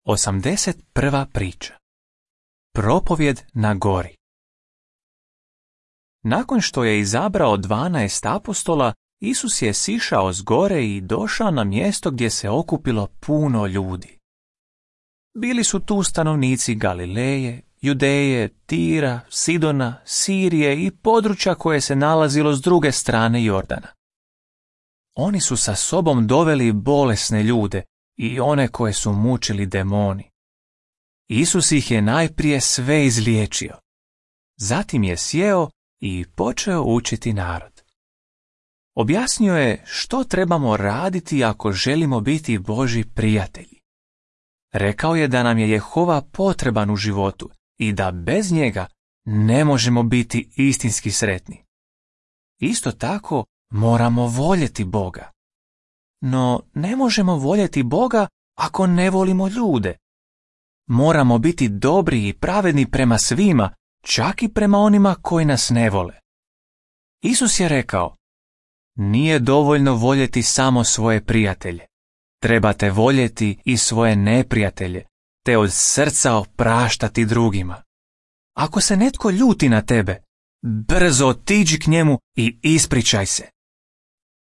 81. priča. Propovjed na gori. Nakon što je izabrao 12 apostola, Isus je sišao s gore i došao na mjesto gdje se okupilo puno ljudi. Bili su tu stanovnici Galileje, Judeje, Tira, Sidona, Sirije i područja koje se nalazilo s druge strane Jordana. Oni su sa sobom doveli bolesne ljude i one koje su mučili demoni. Isus ih je najprije sve izliječio. Zatim je sjeo i počeo učiti narod. Objasnio je što trebamo raditi ako želimo biti Božji prijatelji. Rekao je da nam je Jehova potreban u životu i da bez njega ne možemo biti istinski sretni. Isto tako moramo voljeti Boga. No ne možemo voljeti Boga ako ne volimo ljude. Moramo biti dobri i pravedni prema svima, čak i prema onima koji nas ne vole. Isus je rekao: nije dovoljno voljeti samo svoje prijatelje. Trebate voljeti i svoje neprijatelje, te od srca opraštati drugima. Ako se netko ljuti na tebe, brzo otiđi k njemu i ispričaj se.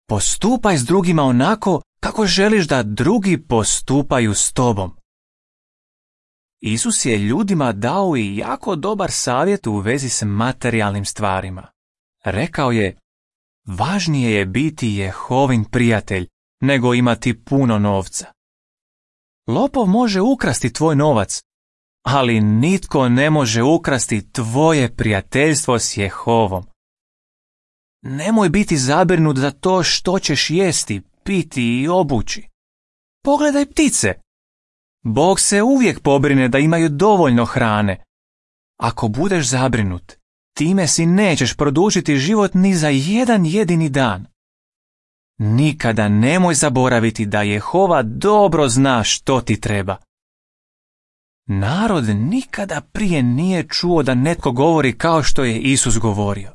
Postupaj s drugima onako kako želiš da drugi postupaju s tobom. Isus je ljudima dao i jako dobar savjet u vezi s materijalnim stvarima. Rekao je: važnije je biti Jehovin prijatelj nego imati puno novca. Lopov može ukrasti tvoj novac, ali nitko ne može ukrasti tvoje prijateljstvo s Jehovom. Nemoj biti zabrinut za to što ćeš jesti, piti i obući. Pogledaj ptice. Bog se uvijek pobrine da imaju dovoljno hrane. Ako budeš zabrinut, time si nećeš produžiti život ni za jedan jedini dan. Nikada nemoj zaboraviti da Jehova dobro zna što ti treba. Narod nikada prije nije čuo da netko govori kao što je Isus govorio.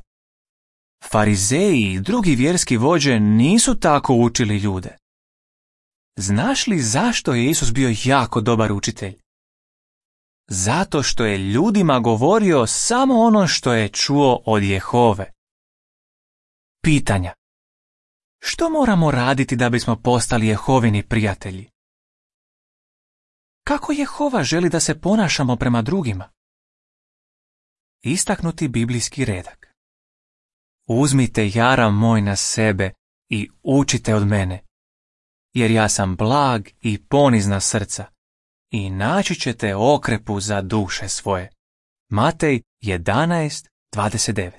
Farizeji i drugi vjerski vođe nisu tako učili ljude. Znaš li zašto je Isus bio jako dobar učitelj? Zato što je ljudima govorio samo ono što je čuo od Jehove. Pitanja. Što moramo raditi da bismo postali Jehovini prijatelji? Kako Jehova želi da se ponašamo prema drugima? Istaknuti biblijski redak. Uzmite jaram moj na sebe i učite od mene, jer ja sam blag i ponizna srca, i naći ćete okrepu za duše svoje. Matej 11:29.